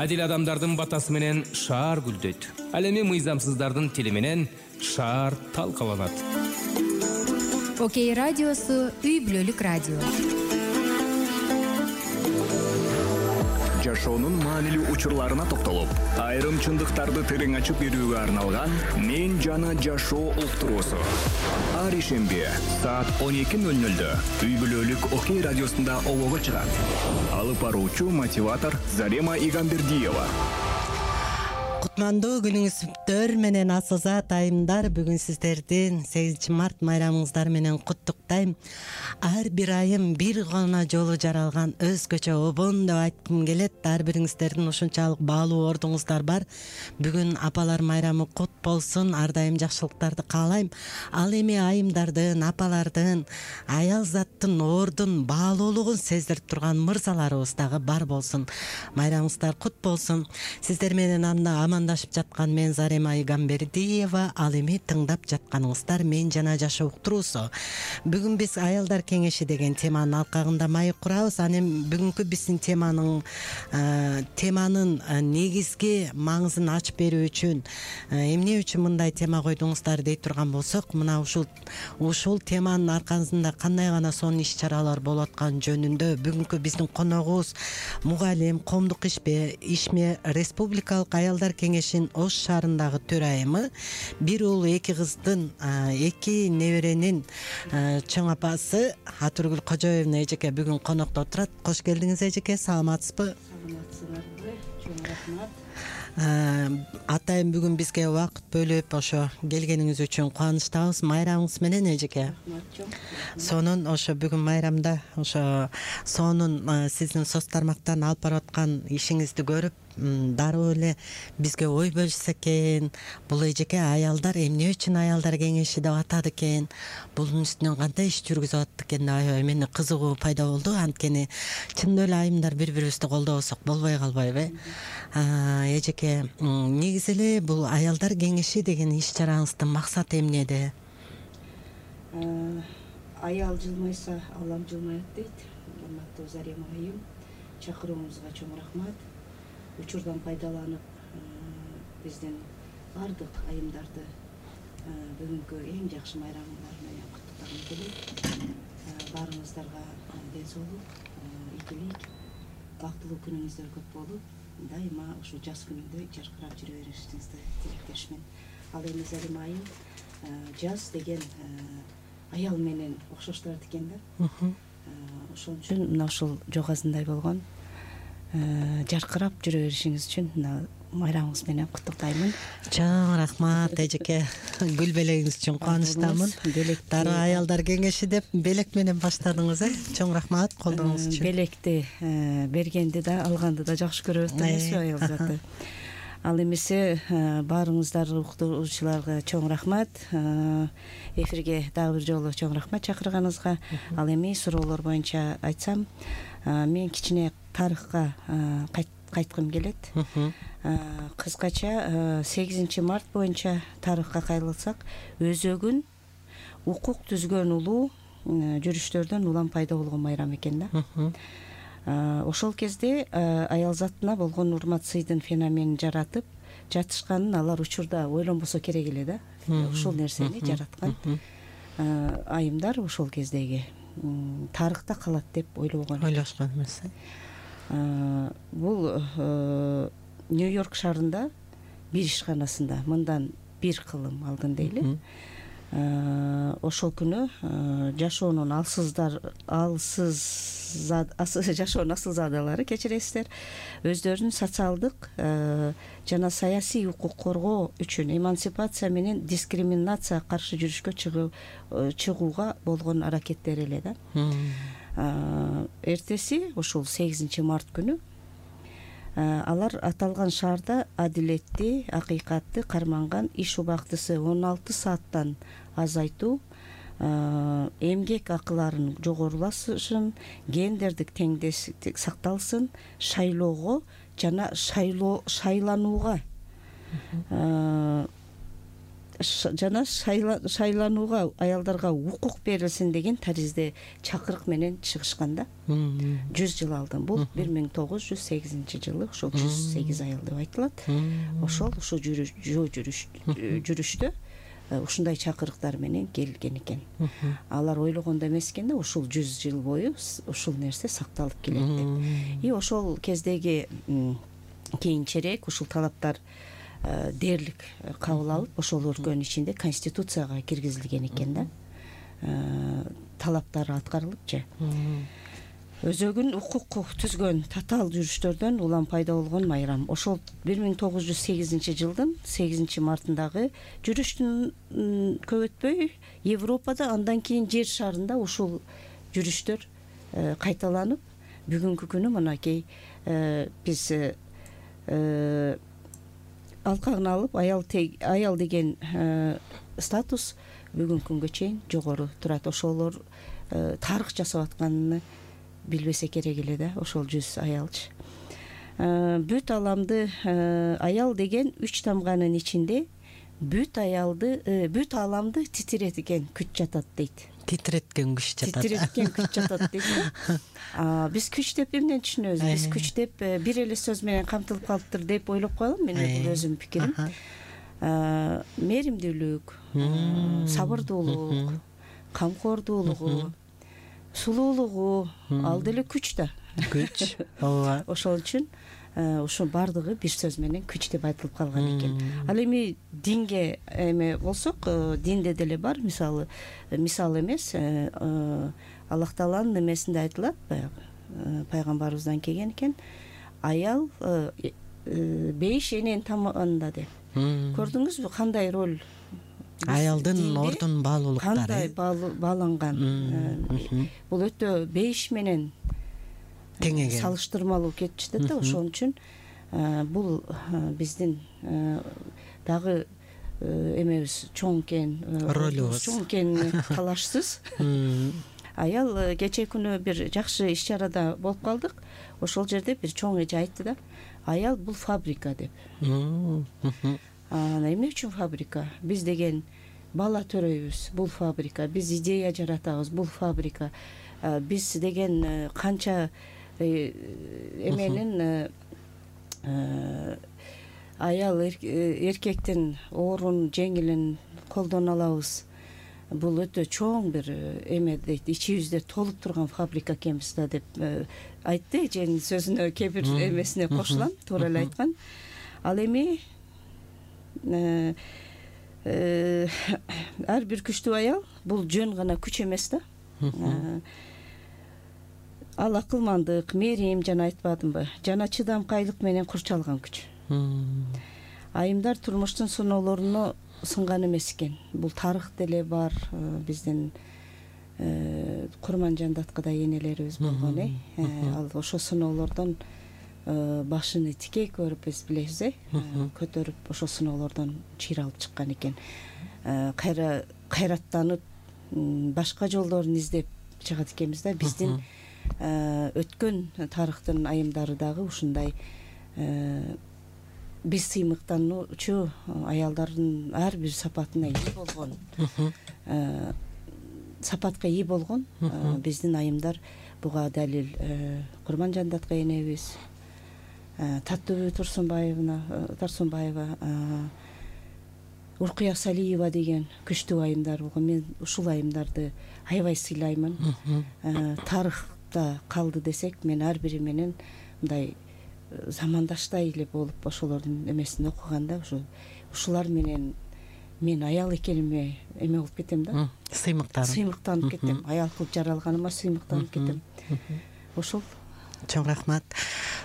Адил адамдардын батасы менен шаар гүлдөйт. Ал эми мыйзамсыздардын тили менен шаар талкаланат. Окей радиосу үй бүлөлүк радио. Жашоонун маанилүү учурларына токтолуп, айрым чындыктарды терең ачып берүүгө арналган Мен жана жашоо уктуруусу. Ар ишемби саат 12:00 үй бүлөлүк Окей радиосунда обого чыгат. Алып баруучу мотиватор Зарема Игамбердиева. Кутмандуу күнүңүздөр менен Асылзат айымдар, бүгүн сиздердин 8 март майрамыңыздар менен куттуктайм. Ар бир айым бир гана жолу жаралган өзгөчө обон деп айткым келет. Ар бириңиздердин ушунчалык баалуу ордуңуздар бар. Бүгүн апалар майрамы кут болсун. Ар дайым жакшылыктарды каалайм. Ал эми айымдардын, апалардын, аял заттын ордун, баалуулугун сездирип турган мырзаларыбыз дагы бар болсун. Майрамыңыздар кут болсун. Сиздер менен амандашып жаткан мен Зарема Игамбердиева. Ал эми тыңдап жатканыңыздар Мен жана жашоо уктуруусу. Бүгүн биз аялдар кеңеши деген теманын алкагында маек курабыз. Анан бүгүнкү биздин теманын негизги маңызын ачып берүү үчүн эмне үчүн мындай тема койдуңуздар дей турган болсок, мына ушул теманын аркасында кандай гана сонун иш-чаралар болуп аткан жөнүндө бүгүнкү биздин коногубуз мугалим, коомдук ишме Республикалык аялдар кеңешинин Ош шаарындагы төрайымы, бир уул, эки кыздын, эки неберенин чоң апасы Атургүл Кожоевна эжеке бүгүн конокто отурат. Кош келдиңиз эжеке, саламатсызбы? Саламатсыздарбы? Чоң рахмат. Атайын бүгүн бизге убакыт бөлүп ошо келгениңиз үчүн кубанычтабыз. Майрамыңыз менен эжеке. Сонун ошо бүгүн майрамда ошо сонун сиздин соц тармактан алып барып аткан ишиңизди көрүп дароо эле бизге ой бөлүшсө экен. Бул эжеке аялдар эмне үчүн аялдар кеңеши деп атады экен, бунун үстүнөн кандай иш жүргүзүп атат экен деп аябай мени кызыгуу пайда болду. Анткени чындап эле айымдар бири-бирибизди колдобосок болбой калбайбы? Эжеке, негизи эле бул аялдар кеңеши деген иш-чараңыздын максаты эмнеде? Аял жылмайса, алам жылмайт дейт. Урматтуу Зарема айым, чакырууңузга чоң рахмат. Учурдан пайдаланып, биздин бардык айымдарды бүгүнкү эң жакшы майрамыңар менен куттуктагым келет. Баарыңыздарга ден соолук, ийгилик, бактылуу күнүңүздөр көп болуп, дайыма ушу жаз күнүндө жаркырап жүрө беришиңизди тилектешмин. Ал эми Зарема айым, жаз деген аял менен окшоштурат экен да. Ошон үчүн мына ушул жогазындай болгон жаркырап жүрө беришиңиз үчүн майрамыңыз менен куттуктаймын. Чоң рахмат эжеке. Гүл белегиңиз үчүн кубанычтамын. Дароо аялдар кеңеши деп белек менен баштадыңыз, Чоң рахмат колдооңуз үчүн. Белекти бергенди да, алганды да жакшы көрөт эмеспи аял заты. Ал эмесе баарыңыздар уктуруучуларга чоң рахмат. Эфирге дагы бир жолу чоң рахмат чакырганыңызга. Ал эми суроолор боюнча айтсам, мен кичине тарыхка кайткым келет. Кыскача 8 март боюнча тарыхка кайрылсак, өзөгүн укук түзгөн улуу жүрүштөрдөн улам пайда болгон майрам экен да. Ошол кезде аял затына болгон урмат сыйдын феноменин жаратып жатышканын алар учурда ойлонбосо керек эле да. Ушул нерсени жараткан айымдар ошол кездеги тарыхта калат деп ойлошкон эмес. Бул Нью-Йорк шаарында бир ишканасында мындан 1 кылым алдын дейли. Ошол күнү жашоонун асылзадалары, кечиресиздер, өздөрүнүн социалдык жана саясий укук коргоо үчүн эмансипация менен дискриминация каршы жүрүшкө чыгууга болгон аракеттери эле да. Эртеси ушул 8 март күнү алар аталган шаарда адилетти, акыйкатты карманган иш убактысы 16 сааттан азайтуу, эмгек акыларынын жогорулашын, гендердик теңдештик сакталсын, шайлоого жана шайланууга жана шайланууга аялдарга укук берилсин деген таризде чакырык менен чыгышкан да 100 жыл алдын. Бул 1908-жылы ошол 108 аял деп айтылат. Ошол ушу жүрүштө ушундай чакырыктар менен келген экен. Алар ойлогондой эмес экен да, ушул 100 жыл бою ушул нерсе сакталып келет деп. И ошол кездеги кийинчерээк ушул талаптар дээрлик кабыл алып, ошол өлкөнүн ичинде конституцияга киргизилген экен да. Талаптары аткарылыпчы. Өзөгүн укук түзгөн татаал жүрүштөрдөн улам пайда болгон майрам. Ошол 1908-жылдын 8-мартындагы жүрүштүн көп өтпөй Европада, андан кийин жер шарында ушул жүрүштөр кайталанып, бүгүнкү күнү мынакей биз алкагын алып аял деген статус бүгүнкү күнгө чейин жогору турат. Ошолор тарых жасап атканын билбесе керек эле да, ошол 100 аялчы. Бүт аламды аял деген 3 тамганын ичинде бүт аламды титиреткен күч жатат дейт. Титиреткен күч жатат дейт. Биз күч деп эмнени түшүнөбүз? Биз күч деп бир эле сөз менен камтылып калыптыр деп ойлоп коелам. Мен бул өзүмдүн пикирим. Меримдүүлүк, сабырдуулук, камкордуулугу, сулуулугу ал деле күч да. Күч. Ооба. Ошол үчүн ошо бардыгы бир сөз менен күч деп айтылып калган экен. Ал эми динге эме болсок, динде деле бар, мисалы эмес, Аллах Тааланын эмесинде айтылат, пайгамбарыбыздан келген экен, аял 5 эненин тамагында деп. Көрдүңүзбү кандай роль аялдын ордун баалуулуктары, кандай бааланган. Бул өтө 5 менен теңеген, салыштырмалуу кетип жатат да. Ошон үчүн бул биздин дагы эмебиз чоң экен, ролубуз чоң экен, талашсыз. Аял кечээ күнү бир жакшы иш-чарада болуп калдык. Ошол жерде бир чоң эже айтты да, аял бул фабрика деп. Эмне үчүн фабрика? Биз деген бала төрөйбүз, бул фабрика. Биз идея жаратабыз, бул фабрика. Биз деген канча эменин аял эркектин оорун, жеңилин колдоно алабыз. Бул өтө чоң бир эме дейт, ичибизде толуп турган фабрика экенбиз да деп айтты. Эженин сөзүнө кээ бир эмесине кошулам, туура эле айткан. Ал эми ар бир күчтүү аял бул жөн гана күч эмес да. Ал акылмандык, мерим, жана айтпадымбы, жана чыдамкайлык менен курчалган күч. Айымдар турмуштун сыноолоруна сынган эмес экен. Бул тарых деле бар, биздин Курманжандаткыдай энелерибиз болгон, ал ошо сыноолордон башын тикей көрүп, биз билебиз, көтөрүп ошо сыноолордон чыйралып чыккан экен. Кайраттанып башка жолдорун издеп чыгат экенбиз да. Биздин өткөн тарыхтын айымдары дагы ушундай биз сыймыктануучу аялдардын ар бир сапатына ээ болгон, сапатка ээ болгон биздин айымдар. Буга далил Курманжандатка энебиз, Таттыбү Турсунбаева, Уркуя Салиева деген күчтүү айымдар болгон. Мен ушул айымдарды аябай сыйлаймын. Тарыхта калды десек, мен ар бири менен мындай замандаштай эле болуп ошолордун эмесин окуганда, ушулар менен мен аял экениме эме болуп кетем да. Сыймыктанып кетем. Аял кылып жаралганыма сыймыктанып кетем. Ошол. Чоң рахмат.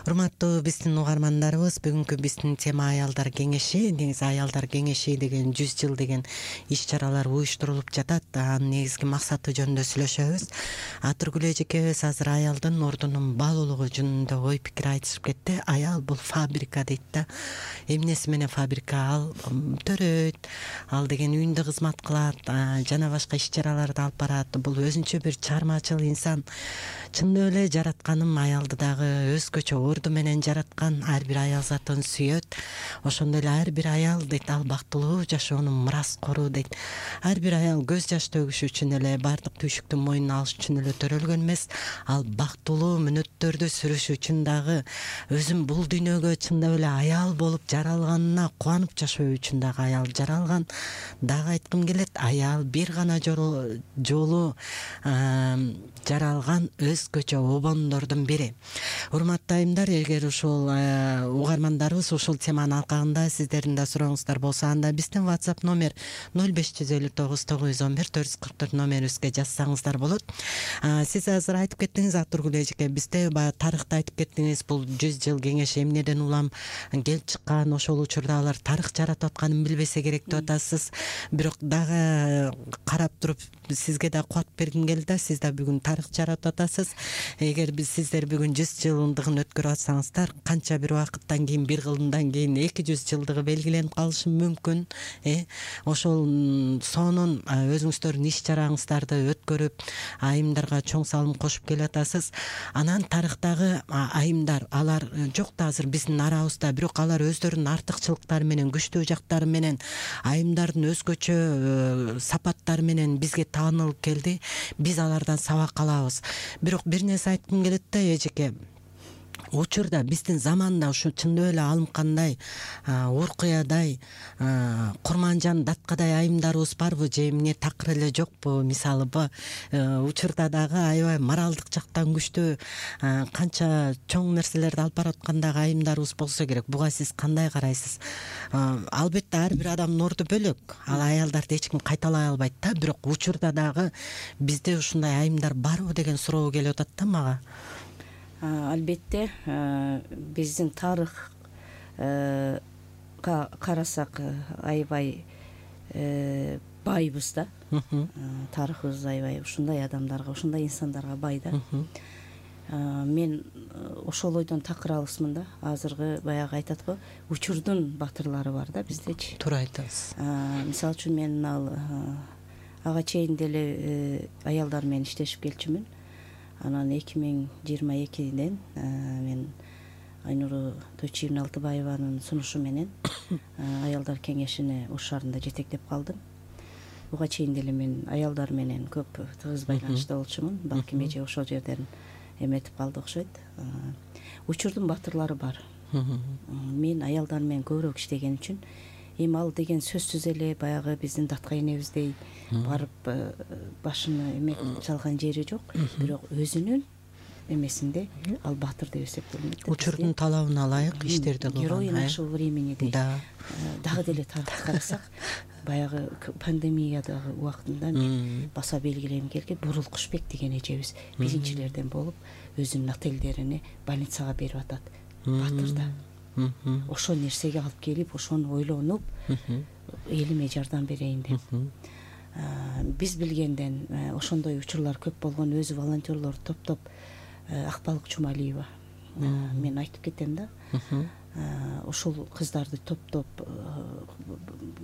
Урматтуу биздин угармандарыбыз, бүгүнкү биздин тема аялдар кеңеши. Негизи аялдар кеңеши деген 100 жыл деген иш-чаралар уюштурулуп жатат. Анын негизги максаты жөнүндө сүйлөшөбүз. Атыргүл эжекебиз азыр аялдын ордунун баалуулугу жөнүндө ой пикир айтышып кетти. Аял бул фабрика дейт да. Эмнеси менен фабрика? Ал төрөйт, ал деген үйүндө кызмат кылат, жана башка иш-чараларды алып барат. Бул өзүнчө бир чармачыл инсан. Чындап эле жаратканым аялды дагы өзгөчө урду менен жараткан ар бир аял затын сүйөт. Ошондой эле ар бир аял дейт ал бактылуу жашоонун мураскору дейт. Ар бир аял көз жаш төгүш үчүн эле, баардык түйшүктү мойнуна алыш үчүн эле төрөлгөн эмес. Ал бактылуу мүнөттөрдү сүрүш үчүн дагы, өзүн бул дүйнөгө чындап эле аял болуп жаралганына кубанып жашоо үчүн дагы аял жаралган. Дагы айткым келет, аял бир гана жолу жаралган өзгөчө обондордун бири. Урматтуу айымдар, эгер ушул угармандарыбыз ушул теманын алкагында сиздердин да сурооңуздар болсо, анда биздин WhatsApp номер 0559 911 444 номерибизге жазсаңыздар болот. Сиз азыр айтып кеттиңиз, Атургул эжеке, бизде баягы тарыхты айтып кеттиңиз, бул 100 жыл кеңеш эмнеден улам келип чыккан, ошол учурда алар тарых жаратып атканын билбесе керек деп атасыз. Бирок дагы карап туруп сизге да кубат бергим келди да, сиз да бүгүн тарых жаратып атасыз. Эгер сиздер бүгүн 100 жылдыгын өткөрүп атсаңыздар, канча бир убакыттан кийин, бир кылымдан кийин 200 жылдыгы белгиленип калышы мүмкүн. Ошол сонун өзүңүздөрдүн иш чараңыздарды өткөрүп, айымдарга чоң салым кошуп келатасыз. Анан тарыхтагы айымдар, алар жок да азыр биздин арабызда, бирок алар өздөрүнүн артыкчылыктары менен, күчтүү жактары менен, айымдардын өзгөчө сапаттары менен бизге таанылып келди. Биз алардан сабак алабыз. Бирок бир нерсе айткым келет да, эжеке. Учурда биздин заманда ушу чындап эле алымкандай, Уркуядай, Курманжан Даткадай айымдарыбыз барбы же эмне такыр эле жокпу? Мисалы учурда дагы аябай моралдык жактан күчтүү, канча чоң нерселерди алып бараткандагы айымдарыбыз болсо керек. Буга сиз кандай карайсыз? Албетте ар бир адамдын орду бөлөк. Ал аялдарды эч ким кайталай албайт да, бирок учурда дагы бизде ушундай айымдар барбы деген суроо келип атат да мага. Албетте, биздин тарыхка карасак аябай байбыз да. Тарыхыбыз аябай ушундай адамдарга, ушундай инсандарга бай да. Мен ошол ойдон такыр алысмын да. Азыркы баягы айтат го, учурдун батырлары бар да биздечи. Туура айтасыз. Мисалы үчүн мен ага чейин деле аялдар менен иштешип келчүмүн. Анан 2022-ден мен Айнуру Тойчиевна Алтыбаеванын сунушу менен аялдар кеңешине Ош шаарында жетектеп калдым. Буга чейин деле мен аялдар менен көп тыгыз байланышта болчумун. Балким эже ошол жерден эметип калды окшойт. Учурдун батырлары бар. Мен аялдар менен көбүрөөк иштеген үчүн эми ал деген сөзсүз эле баягы биздин Датка энебиздей барып башыны эметип салган жери жок. Бирок өзүнүн эмесинде ал батыр деп эсептелинет. Учурдун талабына ылайык иштерди кылган. Герои нашего времени дейт. Дагы деле тарыхка карасак, баягы пандемиядагы убактында баса белгилегим келген Бурул Кушбек деген эжебиз биринчилерден болуп өзүнүн отелдерине больницага берип атат. Батыр да. Ошол нерсеге алып келип, ошону ойлонуп, элиме жардам берейин деп. Биз билгенден ошондой учурлар көп болгон, өзү волонтерлор топтоп, Акбалык Чумалиева. Мен айтып кетем да. Ошол кыздарды топтоп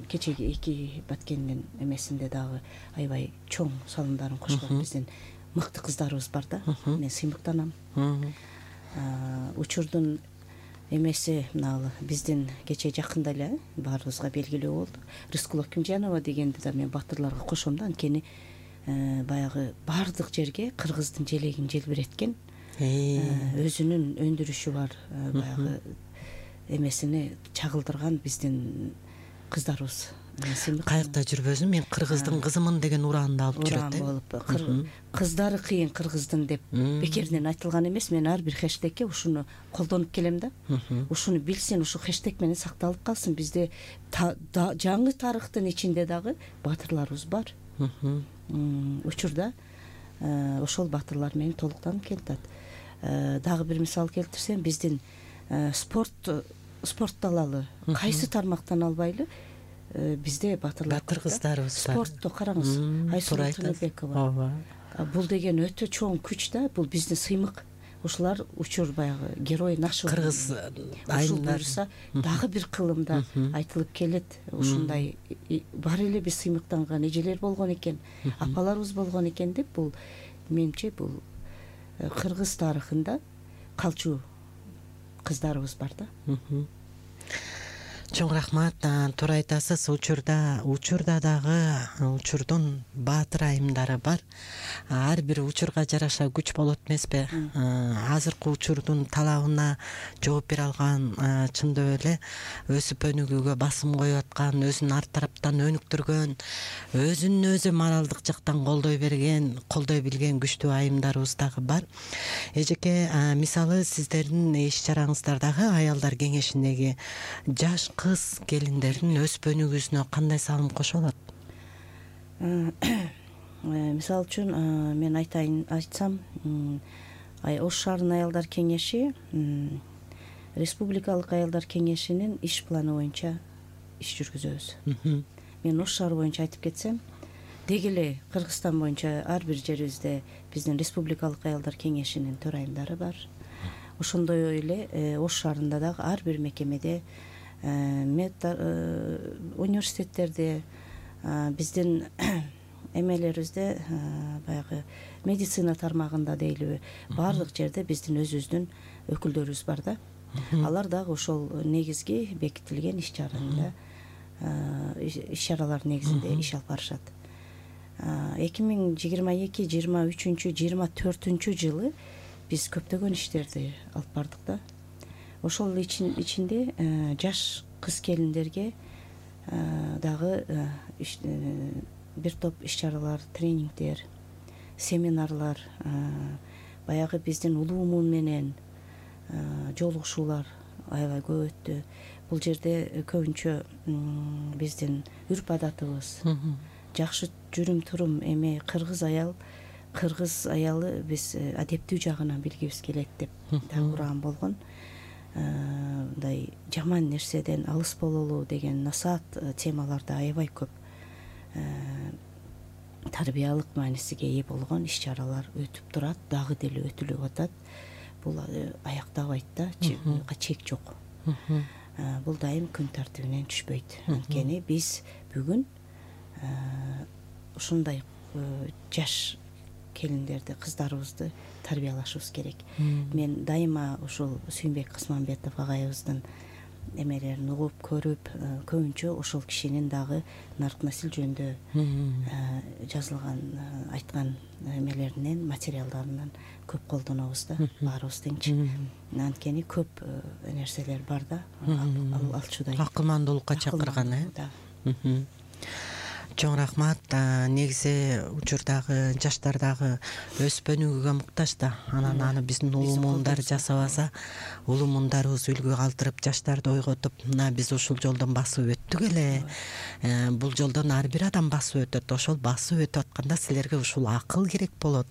кечеги 2 Баткендин эмесинде дагы аябай чоң салымдарын кошкон биздин мыкты кыздарыбыз бар да. Мен сыймыктанам. Учурдун эмеси биздин кече жакында эле баарыбызга белгилүү болду. Рыскулов Кимжанова дегенди да мен батырларга кошом да, анткени баягы баардык жерге кыргыздын желегин желбиреткен, өзүнүн өндүрүшү бар, баягы эмесине чагылдырган биздин кыздарыбыз. Каякта жүрбөсүн, мен кыргыздын кызымын деген ураанды алып жүрөт болуп. Кыздары кыйын кыргыздын деп бекеринен айтылган эмес. Мен ар бир хэштегке ушуну колдонуп келем да. Ушуну билсин, ушу хэштег менен сакталып калсын. Бизде жаңы тарыхтын ичинде дагы батырларыбыз бар. Учурда ошол батырлар менен толуктанып келатат. Дагы бир мисал келтирсем, биздин спорт далалы кайсы тармактан албайлы бизде батыр кыздарыбыз бар. Спортто караңыз, Айсулу Тыныбекова. Бул деген өтө чоң күч да, бул биздин сыймык. Ушулар учур баягы герой нашего кыргыз айымдар дагы бир кылымда айтылып келет. Ушундай бар эле биз сыймыктанган эжелер болгон экен, апаларыбыз болгон экен деп, бул менимче бул кыргыз тарыхында калчу кыздарыбыз бар да. Чоң рахмат. Туура айтасыз. Учурда дагы учурдун баатыр айымдары бар. Ар бир учурга жараша күч болот эмеспи? Азыркы учурдун талабына жооп бере алган, чындап эле өсүп өнүгүүгө басым коюп аткан, өзүн ар тараптан өнүктүргөн, өзүн өзү моралдык жактан колдой билген күчтүү айымдарыбыз дагы бар. Эжеке, мисалы сиздердин иш чараңыздардагы аялдар кеңешиндеги жаш кыз келиндердин өсүп өнүгүүсүнө кандай салым кошо алат? Мисалы үчүн мен айтсам, Ош шаарынын аялдар кеңеши республикалык аялдар кеңешинин иш планы боюнча иш жүргүзөбүз. Мен Ош шаары боюнча айтып кетсем, деги эле Кыргызстан боюнча ар бир жерибизде биздин республикалык аялдар кеңешинин төрайымдары бар. Ошондой эле Ош шаарында дагы ар бир мекемеде, университеттерде, биздин эмелерибизде, баягы медицина тармагында дейлиби, баардык жерде биздин өзүбүздүн өкүлдөрүбүз бар да. Алар дагы ошол негизги бекитилген иш чаралар негизинде иш алып барышат. 2022-23-24 жылы биз көптөгөн иштерди алып бардык да. Ошол ичинде жаш кыз келиндерге дагы бир топ иш чаралар, тренингдер, семинарлар, баягы биздин улуумун менен жолугушуулар аябай көп өттү. Бул жерде көбүнчө биздин үрп адатыбыз, жакшы жүрүм турум эме кыргыз аялы биз адептүү жагынан билгибиз келет деп дагы уран болгон. Мындай жаман нерседен алыс бололу деген насаат темаларда аябай көп тарбиялык маанисиге ээ болгон иш чаралар өтүп турат, дагы деле өтүлүп атат. Бул аяктабайт да, чек жок. Бул дайым күн тартибинен түшпөйт. Анткени биз бүгүн ушундай жаш келиндерди, кыздарыбызды тарбиялашыбыз керек. Мен дайыма ушул Сүйүнбек Касманбетов агайыбыздын эмелерин угуп көрүп, көбүнчө ошол кишинин дагы нарк насил жөнүндө жазылган, айткан эмелеринен, материалдарынан көп колдонобуз да, баарыбыз теңчи. Анткени көп нерселер бар да, алчудай. Акылмандуулукка чакырган, Чоң рахмат. Негизи учурдагы жаштар дагы өсүп өнүгүүгө муктаж да. Анан аны биздин улуу муундар жасабаса, улуу муундарыбыз үлгү калтырып, жаштарды ойготуп, мына биз ушул жолдон басып өттүк эле. Бул жолдон ар бир адам басып өтөт. Ошол басып өтүп атканда силерге ушул акыл керек болот,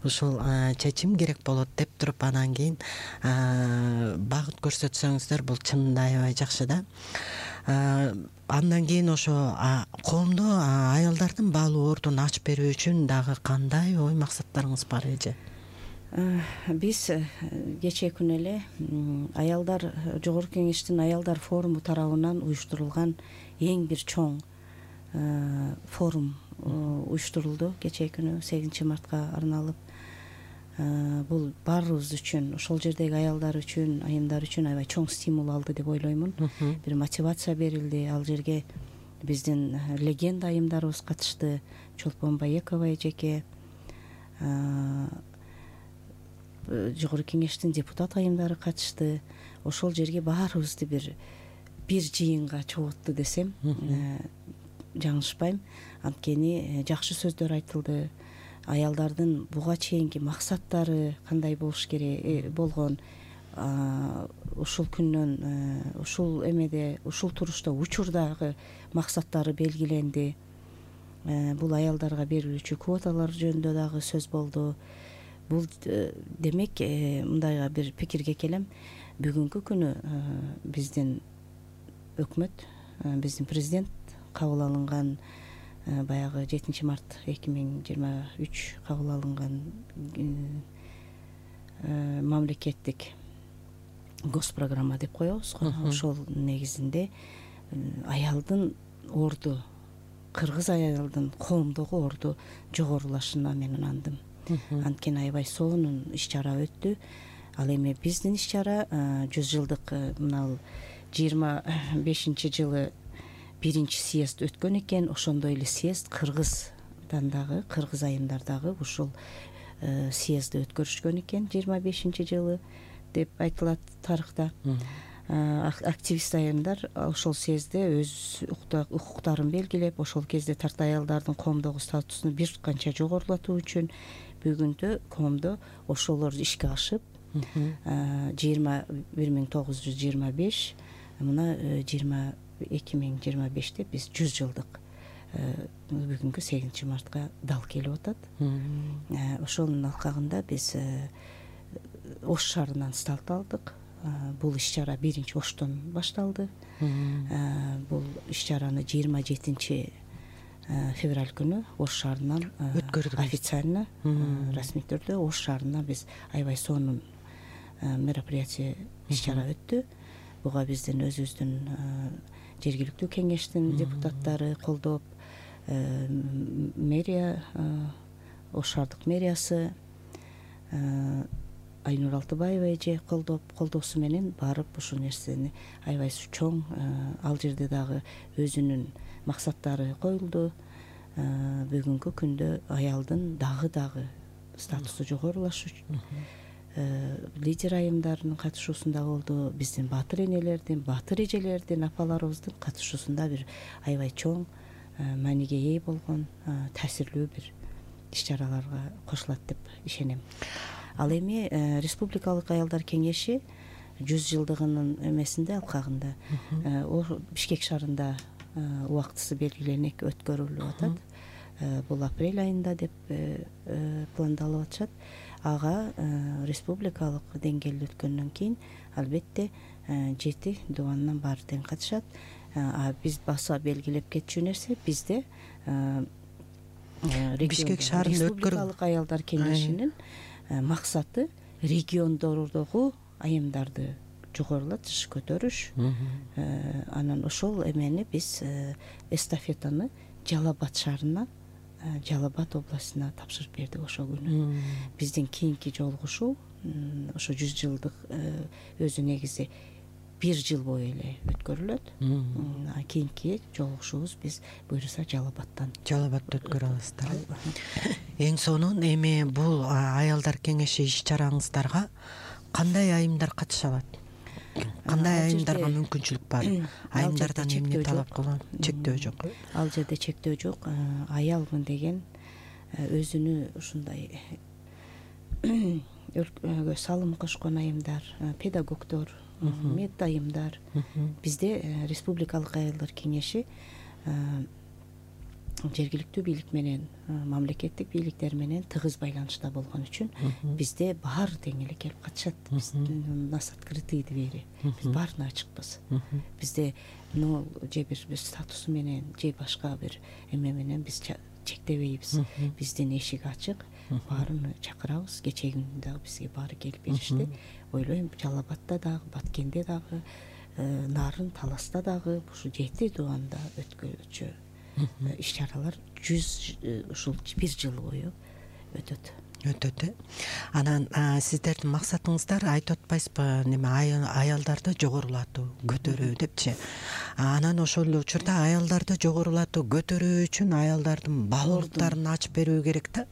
ушул чечим керек болот деп туруп, анан кийин багыт көрсөтсөңүздөр, бул чынында аябай жакшы да. Андан кийин ошо коомдо аялдардын баалуу ордун ачып берүү үчүн дагы кандай ой максаттарыңыз бар эже? Биз кечээ күнү эле аялдар Жогорку Кеңештин аялдар форуму тарабынан уюштурулган эң бир чоң форум уюштурулду. Кечээ күнү 8 мартка арналып, бул баарыбыз үчүн, ошол жердеги аялдар үчүн, айымдар үчүн аябай чоң стимул алды деп ойлоймун. Бир мотивация берилди. Ал жерге биздин легенда айымдарыбыз катышты. Чолпон Байекова эжеке, Жогорку Кеңештин депутат айымдары катышты. Ошол жерге баарыбызды бир жыйынга чогултту десем жаңылышпайм. Анткени жакшы сөздөр айтылды. Аялдардын буга чейинки максаттары кандай болуш керек болгон, ушул күндөн, ушул эмеде, ушул турушта учурдагы максаттары белгиленди. Бул аялдарга берилүүчү квоталар жөнүндө дагы сөз болду. Бул демек, мындайга бир пикирге келем. Бүгүнкү күнү биздин өкмөт, биздин президент кабыл алынган, баягы 7 март 2023 кабыл алынган мамлекеттик госпрограмма деп коебуз го. Ошол негизинде аялдын орду, кыргыз аялдын коомдогу орду жогорулашына мен ынандым. Анткени аябай сонун иш чара өттү. Ал эми биздин иш чара 100 жылдык мына 25-жылы 1-чи съезд өткөн экен. Ошондой эле съезд Кыргыздан дагы, кыргыз айымдардагы ушул съездди өткөрүшкөн экен 25-жылы деп айтылат тарыхта. Активист айымдар ошол съездде өз укуктарын белгилеп, ошол кезде тарта аялдардын коомдогу статусун бир канча жогорулатуу үчүн бүгүндө коомдо ошолор ишке ашып 1925 мына 2025-те биз 100 жылдык бүгүнкү 8-мартка дал келип атат. Ошонун алкагында биз Ош шаарынан старт алдык. Бул иш чара 1-Оштон башталды. Бул иш чараны 27 февраль күнү Ош шаарынан өткөрдүк. Официально расмий түрдө Ош шаарына биз аябай сонун мероприятие иш чара өттү. Буга биздин өзүбүздүн жергиликтүү кеңештин депутаттары колдоп, мэрия, Ош шаардык мэриясы, Айнур Алтыбаева эже колдоосу менен барып ушул нерсени аябай чоң, ал жерде дагы өзүнүн максаттары коюлду. Бүгүнкү күндө аялдын дагы статусу жогорулашы лидер айымдардын катышуусунда болду. Биздин баатыр энелердин, баатыр эжелердин, апаларыбыздын катышуусунда бир аябай чоң мааниге ээ болгон таасирлүү бир иш чараларга кошулат деп ишенем. Ал эми Республикалык аялдар кеңеши 100 жылдыгынын эмесинде алкагында Бишкек шаарында убактысы белгиленип өткөрүлүп атат. Бул апрель айында деп пландалып атышат. Ага республикалык деңгээлде өткөндөн кийин албетте 7 дубандан баары тең катышат. Биз баса белгилеп кетчү нерсе бизде Бишкек шаарында Республикалык аялдар кеңешинин максаты региондордогу айымдарды жогорулатыш, көтөрүш. Анан ошол эмени биз эстафетаны Жалал-Абад шаарына, Жалал-Абад областына тапшырып бердик ошол күнү. Биздин кийинки жолугушуу ошо 100 жылдык өзү негизи 1 жыл бою эле өткөрүлөт. Кийинки жолугушуубуз биз буюрса Жалал-Абадта өткөрө аласыздар. Эң сонун эми бул аялдар кеңеши иш чараңыздарга кандай айымдар катыша алат? Кандай айымдарга мүмкүнчүлүк бар? Айымдардан эмне талап кылынат? Чектөө жок. Ал жерде чектөө жок. Аялмын деген өзүнү ушундай өлкөгө салым кошкон айымдар, педагогдор, мед айымдар. Бизде Республикалык аялдар кеңеши жергиликтүү бийлик менен, мамлекеттик бийликтер менен тыгыз байланышта болгон үчүн бизде баары тең эле келип катышат. Биз у нас открытые двери. Биз баарына ачыкпыз. Бизде же бир статусу менен, же башка бир эме менен биз чектебейбиз. Биздин эшик ачык, баарын чакырабыз. Кечеги күнү дагы бизге баары келип беришти. Ойлойм, Жалал-Абадта дагы, Баткенде дагы, Нарын, Таласта дагы ушу 7 дубанда өткөрүлчү иш чаралар 100 ушул 1 жыл бою өтөт. Анан сиздердин максатыңыздар айтып атпайсызбы, неме аялдарды жогорулатуу, көтөрүү депчи. Анан ошол эле учурда аялдарды жогорулатуу, көтөрүү үчүн аялдардын баалуулуктарын ачып берүү керек да.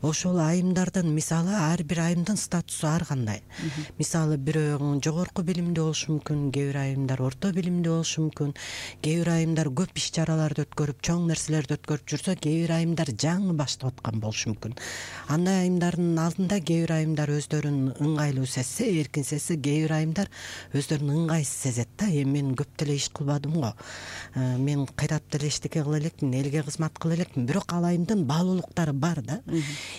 Ошол айымдардын мисалы ар бир айымдын статусу ар кандай. Мисалы бирөө жогорку билимдүү болушу мүмкүн, кээ бир айымдар орто билимдүү болушу мүмкүн, кээ бир айымдар көп иш чараларды өткөрүп, чоң нерселерди өткөрүп жүрсө, кээ бир айымдар жаңы баштап аткан болушу мүмкүн. Андай айымдардын алдында кээ бир айымдар өздөрүн ыңгайлуу сезсе, эркин сезсе, кээ бир айымдар өздөрүн ыңгайсыз сезет да. Эми мен көп деле иш кылбадым го. Мен кыйрап деле эчтеке кыла элекмин, элге кызмат кыла элекмин. Бирок ал айымдын баалуулуктары бар да.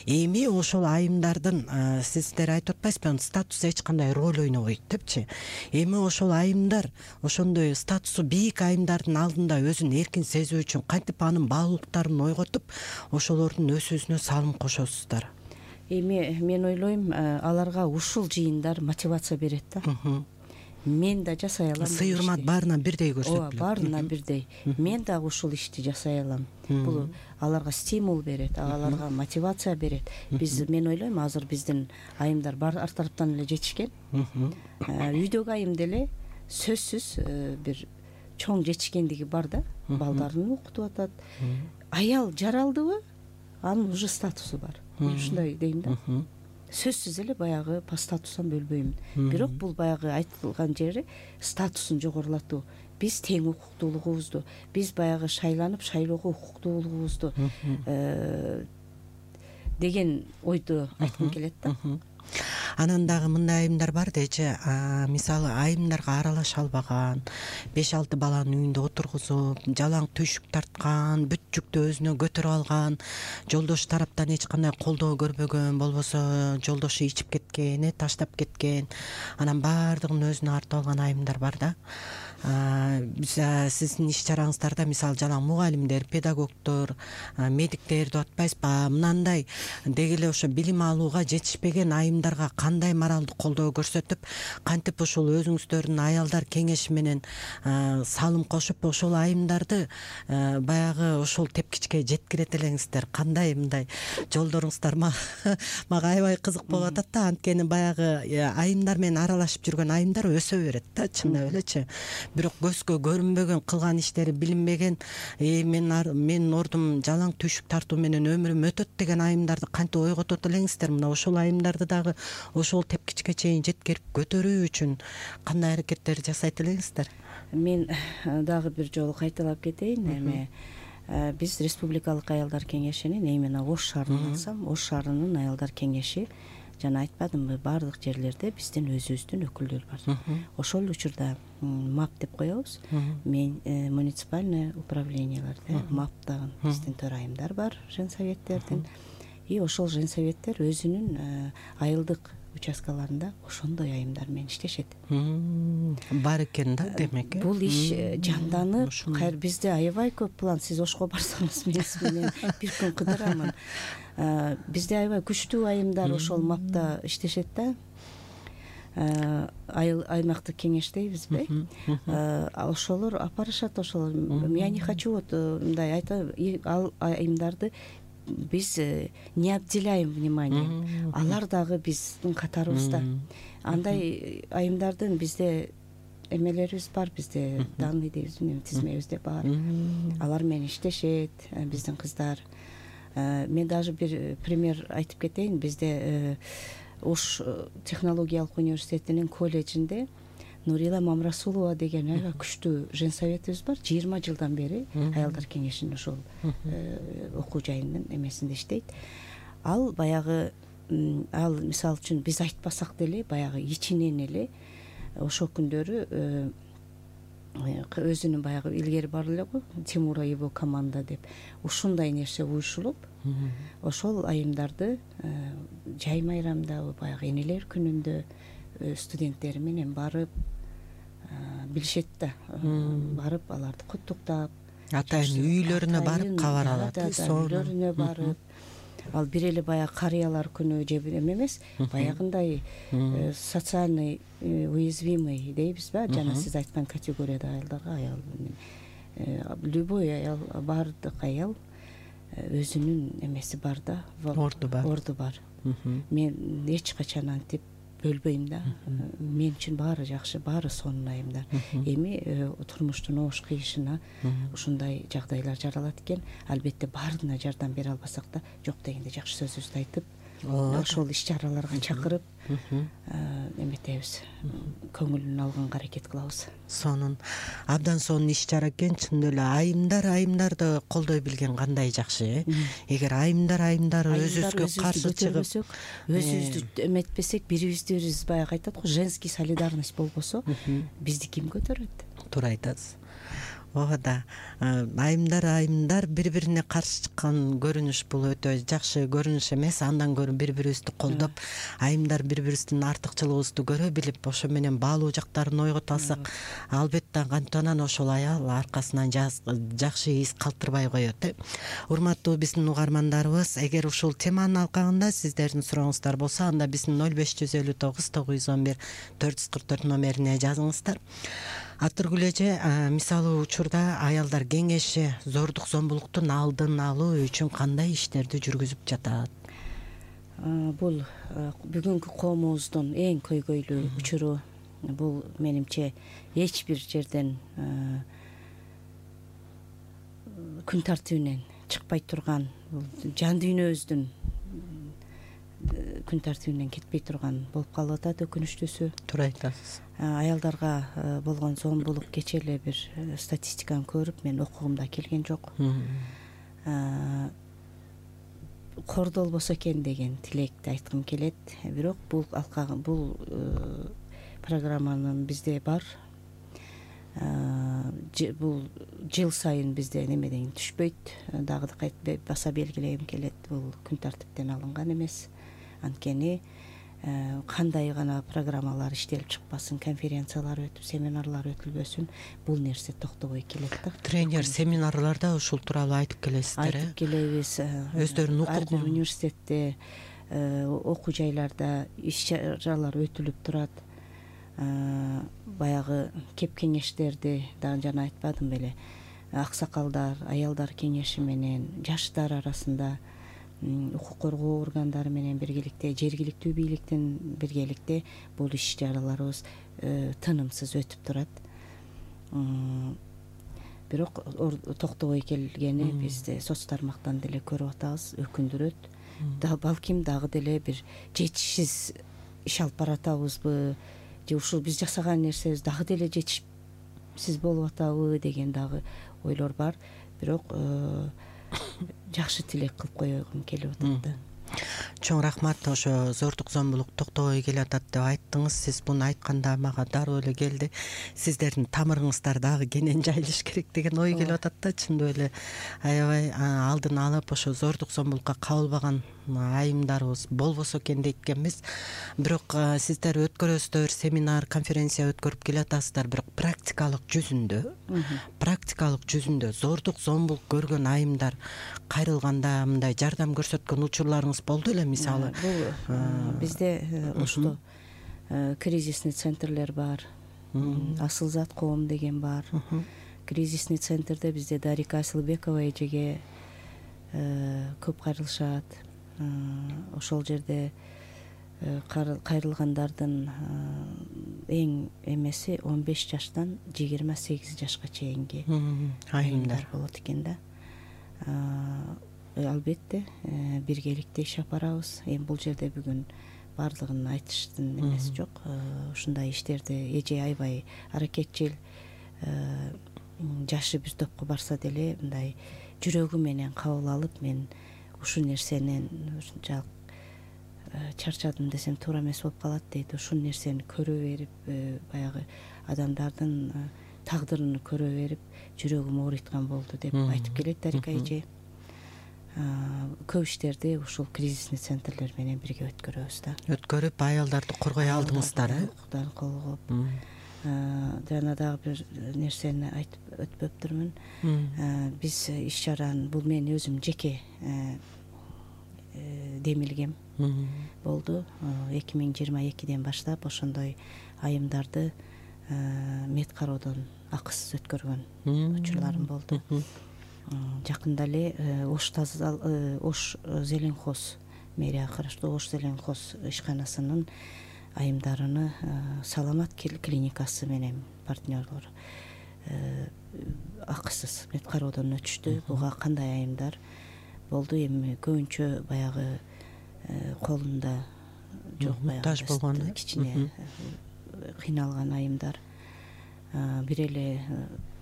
Эми ошол айымдардын сиздер айтып атпайсызбы, статусу эч кандай роль ойнобойт депчи. Эми ошол айымдар, ошондой статусу бийик айымдардын алдында өзүн эркин сезүү үчүн кантип анын баалуулуктарын ойготуп, ошолордун өсүүсүнө салым кошосуздар? Эми мен ойлойм, аларга ушул жыйындар мотивация берет да. мен да жасай алам. Сый урмат баарына бирдей көрсөтүлөт. Ооба, баарына бирдей. Мен дагы ушул ишти жасай алам. Бул аларга стимул берет, аларга мотивация берет. Мен ойлойм, азыр биздин айымдар ар тараптан эле жетишкен. Үйдөгү айым деле сөзсүз бир чоң жетишкендиги бар да, балдарын окутуп атат. Аял жаралдыбы, анын уже статусу бар. Ушундай дейм да. Сөзсүз эле баягы по статустан бөлбөймүн. Бирок бул баягы айтылган жери статусун жогорулатуу. Биз тең укуктуулугубузду, биз баягы шайланып шайлоого укуктуулугубузду деген ойду айткым келет да. Анан дагы мындай айымдар бар дечи, мисалы айымдарга аралаша албаган, 5-6 баланы үйүндө отургузуп, жалаң түйшүк тарткан, бүт жүктү өзүнө көтөрүп алган, жолдошу тараптан эч кандай колдоо көрбөгөн, болбосо жолдошу ичип кеткен, таштап кеткен, анан баардыгын өзүнө артып алган айымдар бар да. Сиздин иш чараңыздарда мисалы жалаң мугалимдер, педагогдор, медиктер деп атпайсызбы, мынандай деги эле ошо билим алууга жетишпеген айымдарга кандай моралдык колдоо көрсөтүп, кантип ушул өзүңүздөрдүн аялдар кеңеши менен салым кошуп, ошол айымдарды баягы ушул тепкичке жеткирет элеңиздер? Кандай мындай жолдоруңуздар мага аябай кызык болуп атат да, анткени баягы айымдар менен аралашып жүргөн айымдар өсө берет да, чындап элечи. Бирок көзгө көрүнбөгөн, кылган иштери билинбеген, менин ордум жалаң түйшүк тартуу менен өмүрүм өтөт деген айымдарды кантип ойготот элеңиздер? Мына ошол айымдарды дагы ошол тепкичке чейин жеткирип көтөрүү үчүн кандай аракеттер жасайт элеңиздер? Мен дагы бир жолу кайталап кетейин. Эми биз Республикалык аялдар кеңешинин, именно Ош шаарынан алсам, Ош шаарынын аялдар кеңеши, жана айтпадымбы, баардык жерлерде биздин өзүбүздүн өкүлдөр бар. Ошол учурда МАП деп коебуз. Мен муниципальный управленияларда МАПтагы биздин төрайымдар бар, женсоветтердин. И ошол женсоветтер өзүнүн айылдык участкаларында ошондой айымдар менен иштешет. Бар экен да, демек. Бул иш жанданып, бизде аябай көп план. Сиз Ошко барсаңыз, мен сиз менен бир күн кыдырамын. Бизде аябай күчтүү айымдар ошол МАПта иштешет да. Аймактык кеңеш дейбизби? Ошолор апарышат, ошолор. Я не хочу вот мындай айтам, ал айымдарды биз не обделяем вниманием. Алар дагы биздин катарыбызда. Андай айымдардын бизде эмелерибиз бар, бизде данный дейбизби, тизмебизде бар. Алар менен иштешет биздин кыздар. Мен даже бир пример айтып кетейин. Бизде Ош технологиялык университетинин колледжинде Нурила Мамрасулова деген аябай күчтүү женсоветибиз бар. 20 жылдан бери аялдар кеңешинин ошол окуу жайынын эмесинде иштейт. Ал баягы, ал мисалы үчүн биз айтпасак деле баягы ичинен эле ошол күндөрү өзүнүн баягы илгери бар эле го, Тимура его команда деп, ушундай нерсе уюшулуп, ошол айымдарды жай майрамда, баягы энелер күнүндө студенттери менен барып билишет да, барып аларды куттуктап, атайын үйлөрүнө барып кабар алат. Үйлөрүнө барып, ал бир эле баягы карыялар күнү же бир эмес, баягындай социальный уязвимый дейбизби, жана сиз айткан категорияда аялдарга, аял любой аял, баардык аял өзүнүн эмеси бар да, орду бар. Мен эч качан антип бөлбөйм да. Мен үчүн баары жакшы, баары сонун айымдар. Эми турмуштун оош кыйышына ушундай жагдайлар жаралат экен. Албетте баарына жардам бере албасак да, жок дегенде жакшы сөзүбүздү айтып, ошол иш чараларга чакырып эметебиз, көңүлүн алганга аракет кылабыз. Сонун, абдан сонун иш чара экен. Чындап эле айымдарды колдой билген кандай жакшы. Эгер айымдар өзүбүзгө каршы чыгып, өзүбүздү эметпесек, бирибизди бирибиз баягы айтат го, женский солидарность болбосо, бизди ким көтөрөт? Туура айтасыз. ооба да айымдар бири бирине каршы чыккан көрүнүш бул өтө жакшы көрүнүш эмес. Андан көрө бири бирибизди колдоп, айымдар бири бирибиздин артыкчылыгыбызды көрө билип, ошо менен баалуу жактарын ойгото алсак, албетте кантанан ошол аял аркасынан жакшы из калтырбай коет. Урматтуу биздин угармандарыбыз, эгер ушул теманын алкагында сиздердин сурооңуздар болсо, анда биздин 0559 911 444 номерине жазыңыздар. Атыргүл эже, мисалы учурда аялдар кеңеши зордук зомбулуктун алдын алуу үчүн кандай иштерди жүргүзүп жатат? Бул бүгүнкү коомубуздун эң көйгөйлүү учуру. Бул менимче эч бир жерден күн тартибинен чыкпай турган, жан дүйнөбүздүн күн тартибинен кетпей турган болуп калып атат. Өкүнүчтүүсү, Туура айтасыз. Аялдарга болгон зомбулук кечээ эле бир статистиканы көрүп мен окугумда келген жок. Кордолбосо экен деген тилекти айткым келет. Бирок бул программанын бизде бар. Бул жыл сайын бизде немеден түшпөйт. Дагы кайтып баса белгилегим келет. Бул күн тартиптен алынган эмес. Анткени кандай гана программалар иштелип чыкпасын, конференциялар өтүп, семинарлар өтүлбөсүн, бул нерсе токтобой келет да. Тренер семинарларда ушул тууралуу айтып келесиздер. Айтып келебиз. Өздөрүнүн ар бир университетте, окуу жайларда иш-чаралар өтүлүп турат. Баягы кеп кеңештерди дагы жана айтпадым беле. Аксакалдар, аялдар кеңеши менен жаштар арасында, укук коргоо органдары менен биргеликте, жергиликтүү бийликтин биргеликте бул иш-чараларыбыз тынымсыз өтүп турат. Бирок токтобой келгени бизде соц тармактан деле көрүп атабыз, өкүндүрөт. Балким дагы деле бир жетишсиз иш алып баратабызбы, же ушул биз жасаган нерсебиз дагы деле жетишсиз болуп атабы деген дагы ойлор бар. Бирок жакшы тилек кылып койгум келип атат да. Чоң рахмат. Ошо зордук зомбулук токтобой келатат деп айттыңыз. Сиз буну айтканда мага дароо эле келди. Сиздердин тамырыңыздар дагы кенен жайылыш керек деген ой келип атат да. Чындап эле аябай алдын алып ошо зордук зомбулукка кабылбаган айымдарыбыз болбосо экен дейт экенбиз. Бирок сиздер өткөрөсүздөр, семинар, конференция өткөрүп келатасыздар, бирок практикалык жүзүндө зордук зомбулук көргөн айымдар кайрылганда мындай жардам көрсөткөн учурларыңыз болду эле, мисалы? Бул бизде ошто кризисный центрлер бар, Асылзат коом деген бар. Кризисный центрде бизде Дарика Асылбекова эжеге көп кайрылышат. Ошол жерде кайрылгандардын эң эмеси 15 жаштан 28 жашка чейинки айымдар болот экен да. Албетте биргеликте иш алып барабыз. Эми бул жерде бүгүн баардыгын айтыштын эмеси жок. Ушундай иштерди эже аябай аракетчил, жашы бир топко барса деле мындай жүрөгү менен кабыл алып, мен ушул нерсенен ушунчалык чарчадым десем туура эмес болуп калат дейт. Ушул нерсени көрө берип, баягы адамдардын тагдырын көрө берип, жүрөгүм ооруйткан болду деп айтып келет Дарика эже. Көп иштерди ушул кризисный центрлер менен бирге өткөрөбүз да. Өткөрүп аялдарды коргой алдыңыздар, укуктарын колгоп. Жана дагы бир нерсени айтып өтпөптүрмүн. Биз иш-чараны, бул мен өзүм жеке демилгем болду. 2022-ден баштап ошондой айымдарды мед кароодон акысыз өткөргөн учурларым болду. Жакында эле Ош Зеленхоз мэрия караштуу Ош Зеленхоз ишканасынын айымдарыны Саламат клиникасы менен партнерлор акысыз мед кароодон өтүштү. Буга кандай айымдар болду? Эми көбүнчө баягы колунда жок, баягы кичине кыйналган айымдар. Бир эле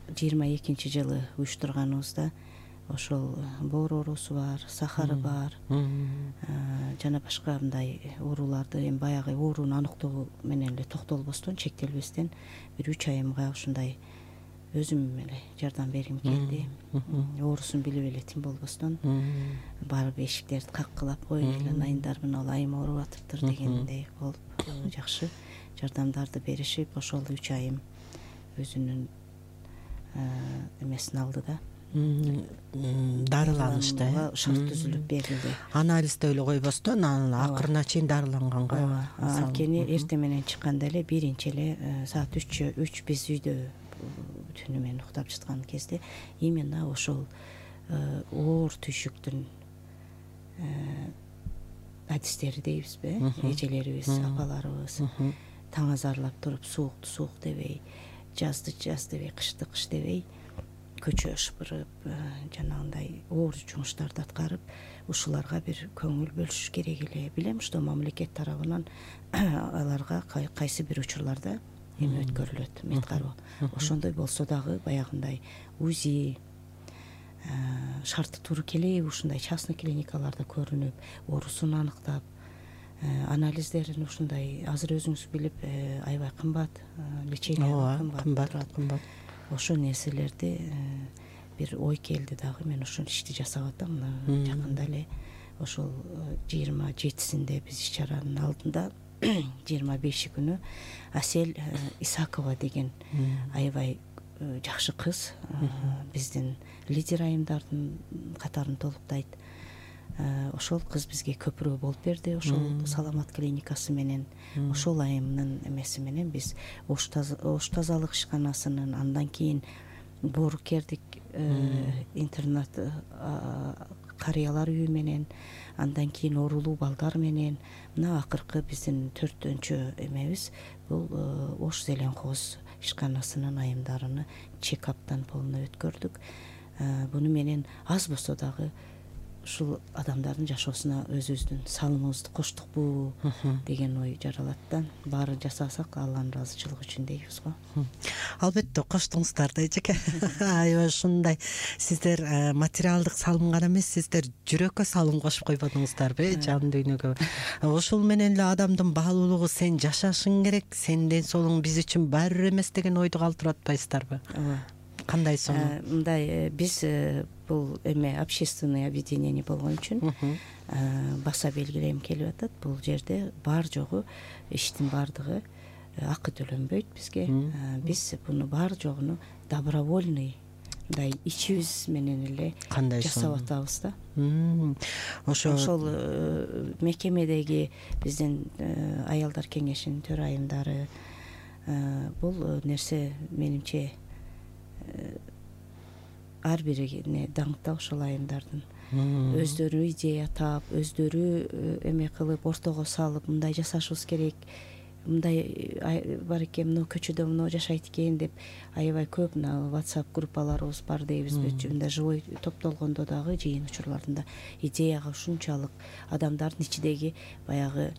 22-жылы уюштурганыбызда ошол боор оорусу бар, сахары бар, жана башка мындай ооруларды, эми баягы оорууну аныктоо менен эле токтолбостон, чектелбестен бир 3 айымга ушундай өзүм эле жардам бергим келди. Оорусун билип эле тим болбостон барып эшиктерди каккылап коюп эле айымдар мына ал айым ооруп атыптыр дегендей болуп жакшы жардамдарды беришип ошол 3 айым өзүнүн эмесин алды да. Дарыланышты шарт түзүлүп берилди. Анализде эле койбостон акырына чейин дарыланганга. Анткени эртең менен чыкканда эле биринчи эле саат 3 биз үйдө түнү менен уктап жаткан кезде именно ошол оор түйшүктүн адистери дейбизби, эжелерибиз, апаларыбыз таң азарлап туруп суукту суук дебей, жазды жаз дебей, кышты кыш дебей көчө шыпырып жанагындай оор жумуштарды аткарып ушуларга бир көңүл бөлүшүш керек эле. Билем, что мамлекет тарабынан аларга кайсы бир учурларда эме өткөрүлөт, медкароо. Ошондой болсо дагы баягындай УЗИ шарты туура келеби ушундай частный клиникаларда көрүнүп, оорусун аныктап, анализдерин ушундай азыр өзүңүз билип аябай кымбат, лечение кымбат. Ошол нерселерди бир ой келди дагы, мен ошол ишти жасап атам. Жакында эле ошол 27-синде биз иш чаранын алдында 25 күнү Асель Исакова деген аябай жакшы кыз биздин лидер айымдардын катарын толуктайт. Ошол кыз бизге көпүрө болуп берди. Ошол Саламат клиникасы менен ошол айымдын эмеси менен биз ош тазалык ишканасынын, андан кийин Боорукердик интернат карыялар үйү менен, андан кийин оорулуу балдар менен мына акыркы биздин 4-өнчү эмебиз бул Ош Зеленхоз ишканасынын айымдарыны чекаптан полный өткөрдүк. Буну менен аз болсо дагы ушул адамдардын жашоосуна өзүбүздүн салымыбызды коштукпу деген ой жаралат да. Баарын жасасак Алланын ыраазычылыгы үчүн дейбиз го. Албетте коштуңуздар да эжеке. Аябай ушундай сиздер материалдык салым гана эмес, сиздер жүрөккө салым кошуп койбодуңуздарбы, жан дүйнөгө. Ошол менен эле адамдын баалуулугу сен жашашың керек, сенин ден соолугуң биз үчүн баары бир эмес деген ойду калтырып атпайсыздарбы? Кандай соң? Мындай биз бул эме общественный объединение болгон үчүн баса белгилегим келип атат. Бул жерде бар жогу иштин баардыгы акы төлөнбөйт бизге. Биз буну бар жогуну добровольный мындай ичибиз менен эле жасап атабыз да. Ошол мекемедеги биздин аялдар кеңешинин төрайымдары бул нерсе менимче ар бирине даңкта ошол айымдардын өздөрү идея таап, өздөрү эме кылып, ортого салып, мындай жасашыбыз керек, мындай бар экен, мына көчөдө мына жашайт экен деп аябай көп мына WhatsApp группаларыбыз бар дейбизби, мындай живой топтолгондо дагы жыйын учурларында идеяга ушунчалык адамдардын ичидеги баягы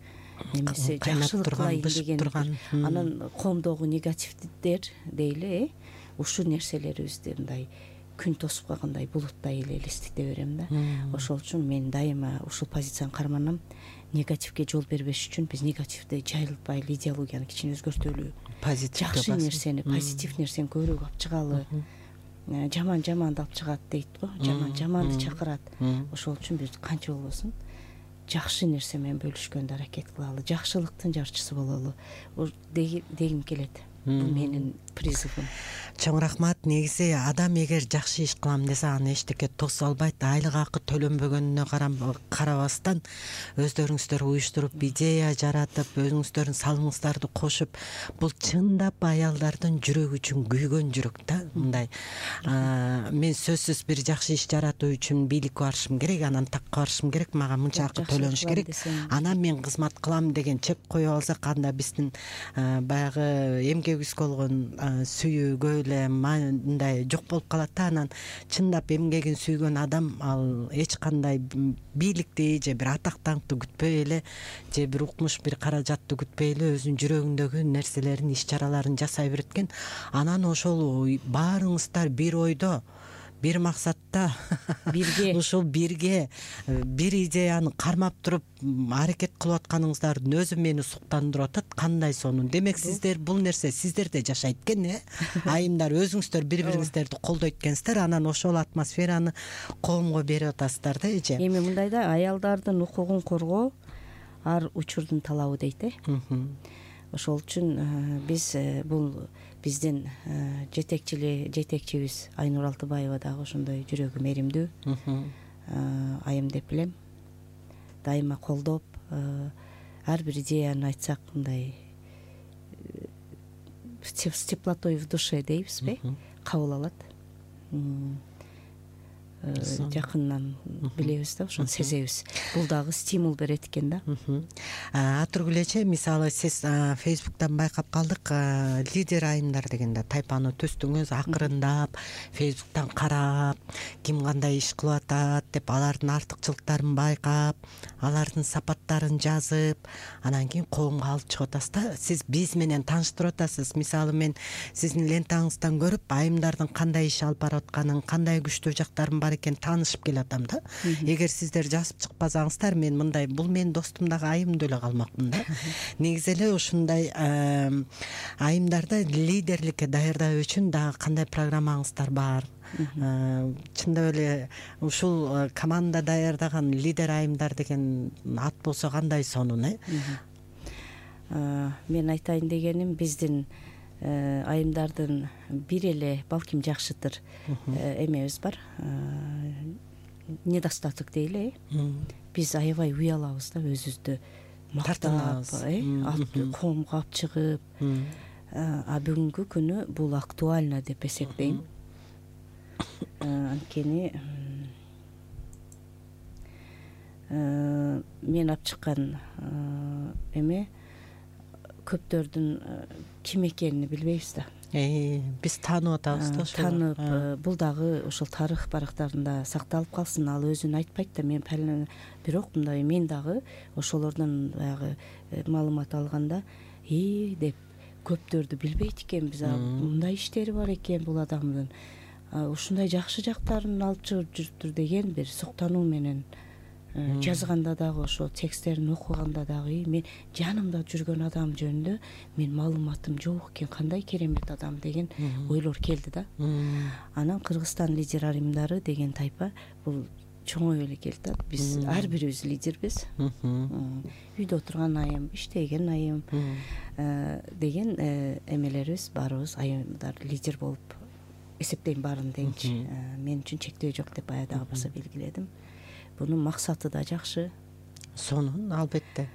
немеси жакшылык кылайын деген, анан коомдогу негативдер дейли, ушул нерселерибизди мындай күн тосуп калгандай булуттай эле элестете берем да. Ошол үчүн мен дайыма ушул позицияны карманам. Негативге жол бербеш үчүн биз негативди жайылтпайлы, идеологияны кичине өзгөртөлү, жакшы нерсени, позитив нерсени көбүрөөк алып чыгалы. Жаман жаманды алып чыгат дейт го, жаман жаманды чакырат. Ошол үчүн биз канча болбосун жакшы нерсе менен бөлүшкөндө аракет кылалы, жакшылыктын жарчысы бололу дегим келет. Бул менин призывым. Чоң рахмат. Негизи адам эгер жакшы иш кылам десе аны эчтеке тосо албайт. Айлык акы төлөнбөгөнүнө карабастан өздөрүңүздөр уюштуруп, идея жаратып, өзүңүздөрдүн салымыңыздарды кошуп, бул чындап аялдардын жүрөгү үчүн күйгөн жүрөк да. Мындай мен сөзсүз бир жакшы иш жаратуу үчүн бийликке барышым керек, анан такка барышым керек, мага мынча акы төлөнүш керек, анан мен кызмат кылам деген чек коюп алсак, анда биздин баягы эмгегибизге болгон сүйүүгө эле мындай жок болуп калат да. Анан чындап эмгегин сүйгөн адам ал эч кандай бийликти же бир атак даңкты күтпөй эле, же бир укмуш бир каражатты күтпөй эле өзүнүн жүрөгүндөгү нерселерин, иш чараларын жасай берет экен. Анан ошол баарыңыздар бир ойдо бир максатта бирге ушул бирге бир идеяны кармап туруп аракет кылып атканыңыздардын өзү мени суктандырып атат. Кандай сонун. Демек сиздер бул нерсе сиздерде жашайт экен, айымдар өзүңүздөр бири-бириңиздерди колдойт экенсиздер, анан ошол атмосфераны коомго берип атасыздар да эже. Эми мындай да, аялдардын укугун коргоо ар учурдун талабы дейт. Ошол үчүн биз бул биздин жетекчибиз Айнур Алтыбаева дагы ошондой жүрөгү меримдүү айым деп билем. Дайыма колдоп, ар бир идеяны айтсак мындай с теплотой в душе дейбизби, кабыл алат. Жакындан билебиз да, ошону сезебиз. Бул дагы стимул берет экен да. Атургүл эже, мисалы сиз Фейсбуктан байкап калдык, лидер айымдар дегенде тайпаны түздүңүз, акырындап Фейсбуктан карап, ким кандай иш кылып атат деп алардын артыкчылыктарын байкап, алардын сапаттарын жазып, анан кийин коомго алып чыгып атасыз да. Сиз биз менен тааныштырып атасыз. Мисалы мен сиздин лентаңыздан көрүп, айымдардын кандай иш алып барып атканын, кандай күчтүү жактарын бар экен таанышып келатам да. Эгер сиздер жазып чыкпасаңыздар, мен мындай, бул менин достум дагы айым деле калмакмын да. Негизи эле ушундай айымдарды лидерликке даярдоо үчүн дагы кандай программаңыздар бар? Чындап эле ушул команда даярдаган лидер айымдар деген ат болсо кандай сонун, Мен айтайын дегеним, биздин айымдардын бир эле балким жакшытыр эмебиз бар, недостаток дейли. Биз аябай уялабыз да, өзүбүздү мактап, коомго алып чыгып. А бүгүнкү күнү бул актуально деп эсептейм. Анткени мен алып чыккан эме көптөрдүн ким экенин билбейбиз да. Биз таанып атабыз да ошол. Таанып, бул дагы ошол тарых барактарында сакталып калсын. Ал өзүн айтпайт да, мен бирок мындай, мен дагы ошолордон баягы маалымат алганда деп көптөрдү билбейт экенбиз. Мындай иштери бар экен бул адамдын, ушундай жакшы жактарын алып чыгып жүрүптүр деген бир суктануу менен жазганда дагы, ошо тексттерин окуганда дагы мен жанымда жүргөн адам жөнүндө мен маалыматым жок экен, кандай керемет адам деген ойлор келди да. Анан Кыргызстан лидер айымдары деген тайпа бул чоңоюп эле келди да. Биз ар бирибиз лидербиз. Үйдө отурган айым, иштеген айым деген эмелерибиз баарыбыз айымдар лидер болуп эсептейм баарын деңчи. Мен үчүн чектөө жок деп баягы баса белгиледим. Бунун максаты да жакшы. Сонун, албетте.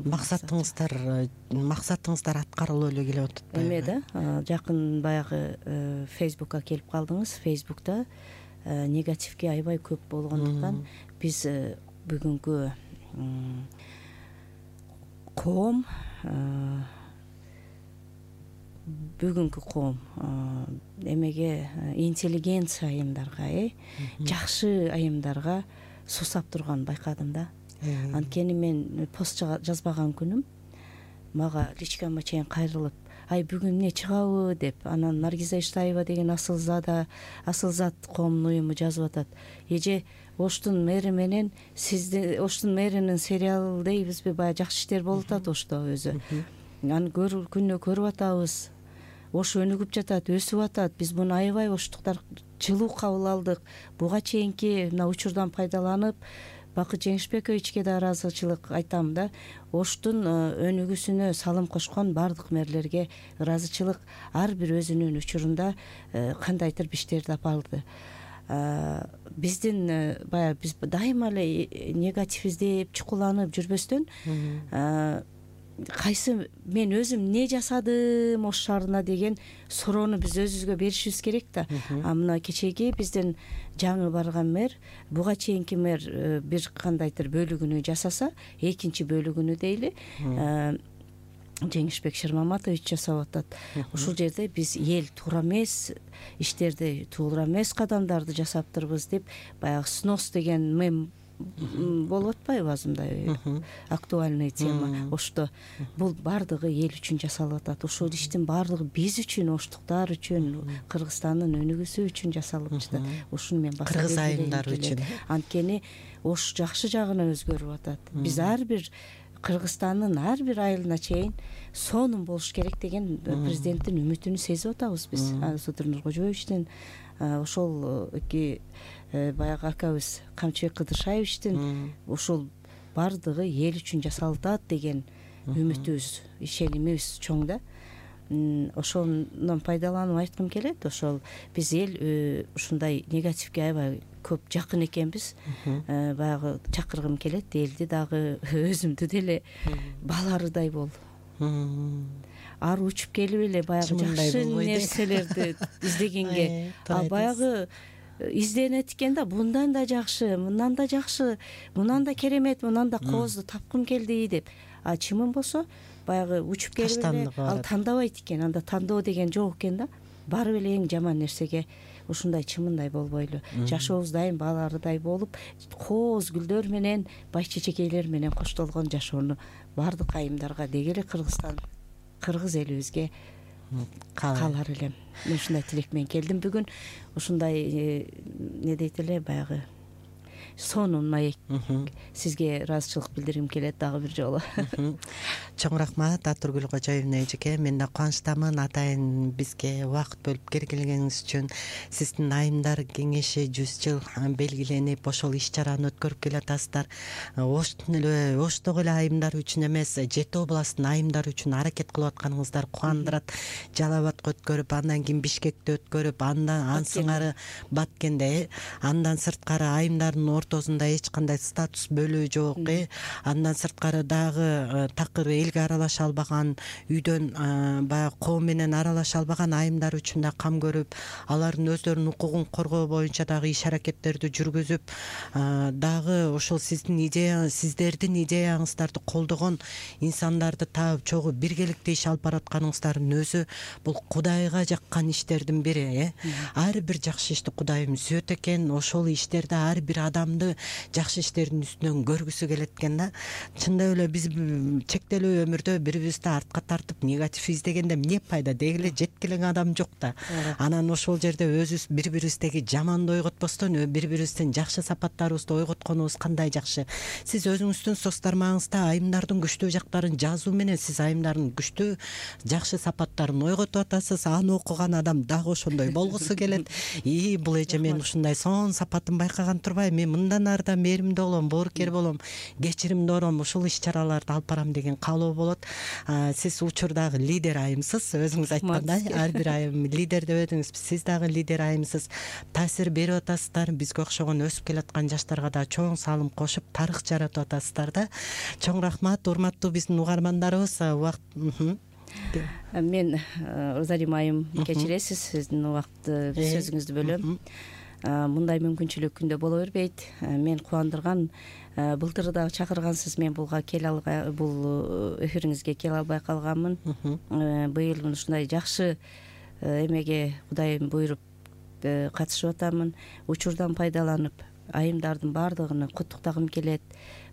Максатыңыздар аткарылып эле келип атат. Эме да, жакын баягы Фейсбукка келип калдыңыз. Фейсбукта негативге аябай көп болгондуктан биз бүгүнкү коом эмеге интеллигенция айымдарга, жакшы айымдарга сусап турганын байкадым да. Анткени мен пост жазбаган күнүм мага личкама чейин кайрылып, бүгүн эмне чыгабы деп, анан Наргиза Иштаева деген Асылзат коомдун уюму жазып атат. Эже, Оштун мэри менен сизди, Оштун мэринин сериалы дейбизби, баягы жакшы иштер болуп атат Ошто өзү. Аны күнү көрүп атабыз. Ош өнүгүп жатат, өсүп атат. Биз муну аябай оштуктар жылуу кабыл алдык. Буга чейинки мына учурдан пайдаланып, Бакыт Жеңишбековичке да ыраазычылык айтам да. Оштун өнүгүүсүнө салым кошкон бардык мэрлерге ыраазычылык. Ар бир өзүнүн учурунда кандайдыр иштерди алды. Биздин баягы биз дайыма эле негатив издеп, чукуланып жүрбөстөн, кайсы мен өзүм эмне жасадым Ош шаарына деген суроону биз өзүбүзгө беришибиз керек да. Мына кечеги биздин жаңы барган мэр, буга чейинки мэр бир кандайдыр бөлүгүнү жасаса, экинчи бөлүгүнү дейли Жеңишбек Шырмаматович жасап атат. Ушул жерде биз эл туура эмес иштерди, туура эмес кадамдарды жасаптырбыз деп баягы снос деген мем болуп атпайбы азымдай актуальный тема ошто. Бул баардыгы эл үчүн жасалып атат. Ошол иштин баардыгы биз үчүн, оштуктар үчүн, Кыргызстандын өнүгүүсү үчүн жасалып жатат. Ушуну мен баса Кыргыз айымдары үчүн. Анткени Ош жакшы жагына өзгөрүп атат. Биз ар бир Кыргызстандын ар бир айылына чейин сонун болуш керек деген президенттин үмүтүн сезип атабыз биз. Сотур Нуркожоевичтин, ошол эки баягы акабыз Камчыбек Кыдыршаевичтин ошол баардыгы эл үчүн жасалып атат деген үмүтүбүз, ишенимибиз чоң да. Ошондон пайдаланып айткым келет. Ошол биз эл ушундай негативге аябай көп жакын экенбиз. Баягы чакыргым келет элди дагы өзүмдү деле баларыдай бол. Ары учуп келип эле баягы жакшы нерселерди издегенге. Ал баягы изденет экен да, мындан да жакшы, мындан да жакшы, мындан да керемет, мындан да коозду тапкым келди деп. А чымын болсо баягы учуп келип эле ал тандабайт экен. Анда тандоо деген жок экен да. Барып эле эң жаман нерсеге ушундай чымындай болбойлу. Жашообуз дайым баларыдай болуп, кооз гүлдөр менен, бай чечекейлер менен коштолгон жашоону баардык айымдарга деги эле Кыргызстан, кыргыз элибизге каалар элем. Мен ушундай тилек менен келдим бүгүн. Ушундай не дейт эле баягы сонун маек сизге ыраазычылык билдиргим келет дагы бир жолу. Чоң рахмат Атургүл Кожоевна эжеке. Мен да кубанычтамын атайын бизге убакыт бөлүп келгениңиз үчүн. Сиздин айымдар кеңеши 100 жыл белгиленип ошол иш чараны өткөрүп келатасыздар. Оштогу эле айымдар үчүн эмес, Жети областтын айымдары үчүн аракет кылып атканыңыздар кубандырат. Жалал Абадка өткөрүп, андан кийин Бишкекте өткөрүп, андан сыңары Баткенде, андан сырткары айымдардын ортосунда эч кандай статус бөлүү жок. Андан сырткары дагы такыр элге аралаша албаган, үйдөн баягы коом менен аралаша албаган айымдар үчүн да кам көрүп, алардын өздөрүнүн укугун коргоо боюнча дагы иш аракеттерди жүргүзүп, дагы ошол сиздердин идеяңыздарды колдогон инсандарды таап чогуу биргеликте иш алып баратканыңыздардын өзү бул Кудайга жаккан иштердин бири. Ар бир жакшы ишти Кудайым сүзөт экен. Ошол иштерде ар бир адамды жакшы иштердин үстүнөн көргүсү келет экен да. Чындап эле биз чектелүү өмүрдө бири-бирибизди артка тартып негатив издегенде эмне пайда? Деги эле жеткилең адам жок да. Анан ошол жерде өзүбүз бири-бирибиздеги жаманды ойготпостон бири-бирибиздин жакшы сапаттарыбызды ойготконубуз кандай жакшы. Сиз өзүңүздүн соц тармагыңызда айымдардын күчтүү жактарын жазуу менен сиз айымдардын күчтүү жакшы сапаттарын ойготуп атасыз. Аны окуган адам дагы ошондой болгусу келет. Бул эже мен ушундай сонун сапатын байкаган турбайм. Мен мындан ары да мээримдүү болом, боорукер болом, кечиримдүү болом, ушул иш чараларды алып барам деген каалоо болот. Сиз учурдагы лидер айымсыз. Өзүңүз айткандай, ар бир айым лидер деп өтүңүз. Сиз дагы лидер айымсыз. Таасир берип атасыздар. Бизге окшогон өсүп келаткан жаштарга да чоң салым кошуп, тарых жаратып атасыздар да. Чоң рахмат, урматтуу биздин угармандарыбыз. Мен Розарим айым кечиресиз, сиздин убакытты сөзүңүздү бөлөм. Мындай мүмкүнчүлүк күндө боло бербейт. Мен кубандырган, былтыр да чакыргансыз, мен бул эфириңизге келе албай калганмын. Быйыл ушундай жакшы эмеге Кудайым буйруп катышып атамын. Учурдан пайдаланып, айымдардын баардыгын куттуктагым келет.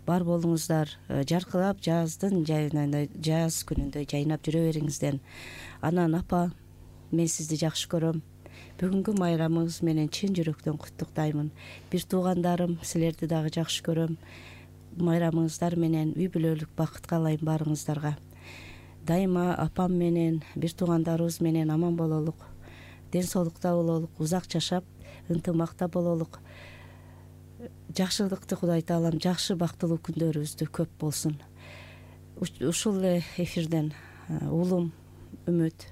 Бар болуңуздар, жаркырап жаздын жаз күнүндөй жайнап жүрө бериңиздер. Анан апа, мен сизди жакшы көрөм. Бүгүнкү майрамыңыз менен чын жүрөктөн куттуктаймын. Бир туугандарым, силерди дагы жакшы көрөм. Майрамыңыздар менен үй бүлөлүк бакыт каалайм баарыңыздарга. Дайыма апам менен, бир туугандарыбыз менен аман бололук, ден соолукта бололук, узак жашап, ынтымакта бололук. Жакшылыкты Кудай таалам жакшы бактылуу күндөрүбүздү көп болсун. Ушул эле эфирден уулум Үмүт,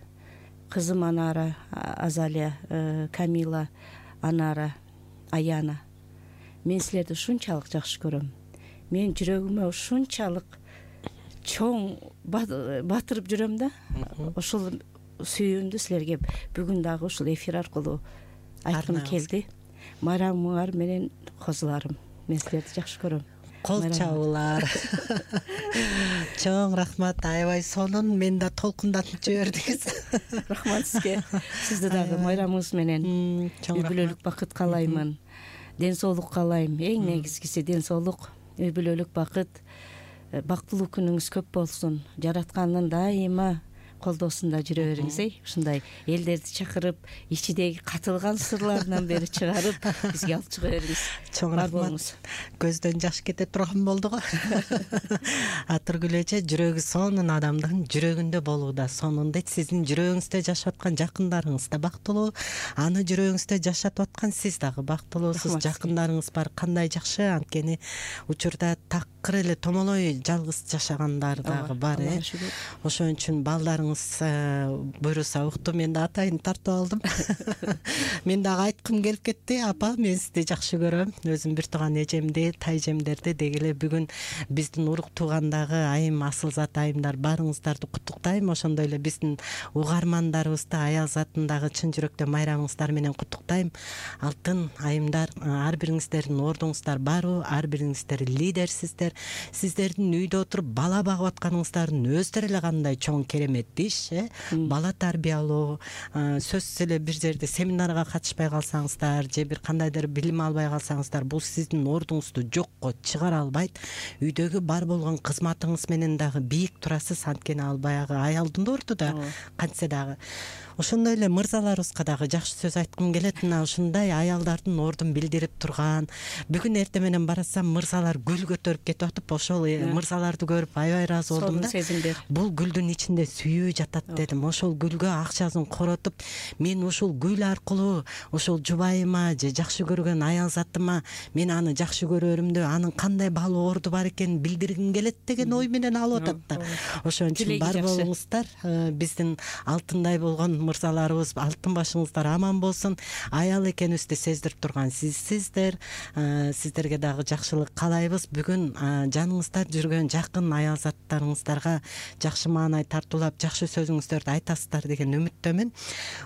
кызым Анара, Азалия, Камила, Анара, Аяна. Мен силерди ушунчалык жакшы көрөм. Мен жүрөгүмө ушунчалык чоң батырып жүрөм да. Ошол сүйүүмдү силерге бүгүн дагы ушул эфир аркылуу айткым келди. Майрамыңар менен козуларым. Мен силерди жакшы көрөм. Кол чабуулар. Чоң рахмат, аябай сонун. Мен да толкундатып жибердиңиз. Рахмат сизге. Сизди дагы майрамыңыз менен үй бүлөлүк бакыт каалаймын. ден соолук каалайм. Эң негизгиси ден соолук, үй бүлөлүк бакыт, бактылуу күнүңүз көп болсун. Жараткандын дайыма колдоосунда жүрө бериңиз. Ушундай элдерди чакырып, ичидеги катылган сырларынан бери чыгарып, бизге алып чыга бериңиз. Чоң рахмат. Көздөн жаш кете турган болду го. Атыргүл эже, жүрөгү сонун адамдын жүрөгүндө болууда сонун дейт. Сиздин жүрөгүңүздө жашап аткан жакындарыңыз да бактылуу, аны жүрөгүңүздө жашатып аткан сиз дагы бактылуусуз. Жакындарыңыз бар, кандай жакшы. Анткени учурда такыр эле томолой жалгыз жашагандар дагы бар. Ошон үчүн балдарыңыз буйруса укту, мен да атайын тартып алдым. Мен дагы айткым келип кетти. Апа, мен сизди жакшы көрөм. Өзүм бир тууган эжемди, тайжемдерди деги эле бүгүн биздин урук туугандагы айым, асылзат айымдар барыңыздарды куттуктайм. Ошондой эле биздин угармандарыбызды аял затындагы чын жүрөктөн майрамыңыздар менен куттуктайм. Алтын айымдар, ар бириңиздердин ордуңуздар барбы? Ар бириңиздер лидерсиздер. Сиздердин үйдө отуруп бала багып атканыңыздардын өздөрү эле кандай чоң керемет иш, бала тарбиялоо. Сөзсүз эле бир жерде семинарга катышпай калсаңыздар же бир кандайдыр билим албай калсаңыздар, бул сиздин ордуңузду жокко чыгара албайт. Үйдөгү бар болгон кызматыңыз менен дагы бийик турасыз. Анткени ал баягы аялдын орду да кантсе дагы. Ошондой эле мырзаларыбызга дагы жакшы сөз айткым келет. Мына ушундай аялдардын ордун билдирип турган. Бүгүн эртең менен барасам, мырзалар гүл көтөрүп кетип атып, ошол мырзаларды көрүп аябай ыраазы болдум да. Бул гүлдүн ичинде сүйүү жатат дедим. Ошол гүлгө акчасын коротуп, мен ушул гүл аркылуу ошол жубайыма же жакшы көргөн аял затыма мен аны жакшы көрөрүмдү, анын кандай баалуу орду бар экенин билдиргим келет деген ой менен алып атат да. Ошон үчүн бар болуңуздар. Биздин алтындай болгон мырзаларыбыз, алтын башыңыздар аман болсун. Аял экенибизди сездирип турган сизсиздер. Сиздерге дагы жакшылык каалайбыз. Бүгүн жаныңызда жүргөн жакын аял заттарыңыздарга жакшы маанай тартуулап, жакшы сөзүңүздөрдү айтасыздар деген үмүттөмүн.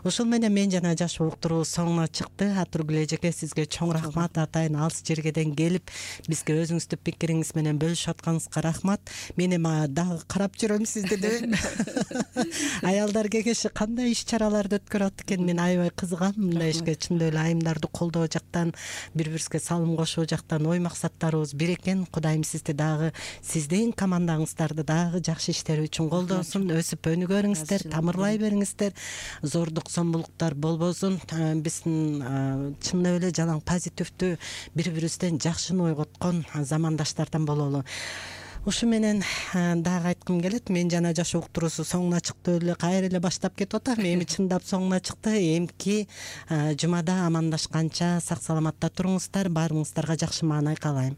Ошол менен мен жана жаш уктуруу соңуна чыкты. Атыргүл эжеге сизге чоң рахмат. Атайын алыс жергеден келип бизге өзүңүздүн пикириңиз менен бөлүшүп атканыңызга рахмат. Мен эми дагы карап жүрөм сизди деп. Аялдар кеңеши кандай иш-чараларды өткөрөт экен, мен аябай кызыгам мындай ишке. Чындап эле айымдарды колдоо жактан, бири-бирибизге салым кошуу жактан ой максаттарыбыз бир экен. Кудайым сизди дагы, сиздин командаңыздарды дагы жакшы иштер үчүн колдосун. Өсүп өнүгөрүңүздөр, тамырлай бериңиздер. Зордук, зомбулуктар болбосун. Биздин чындап эле жалаң позитивдүү, бири-бирибизден жакшыны ойготкон замандаштардан бололу. Ушу менен дагы айткым келет. Мен жана жаш уктуруусу соңуна чыкты эле, кайра эле баштап кетип атам. Эми чындап соңуна чыкты. Эмки жумада амандашканча сак саламатта туруңуздар. Баарыңыздарга жакшы маанай каалайм.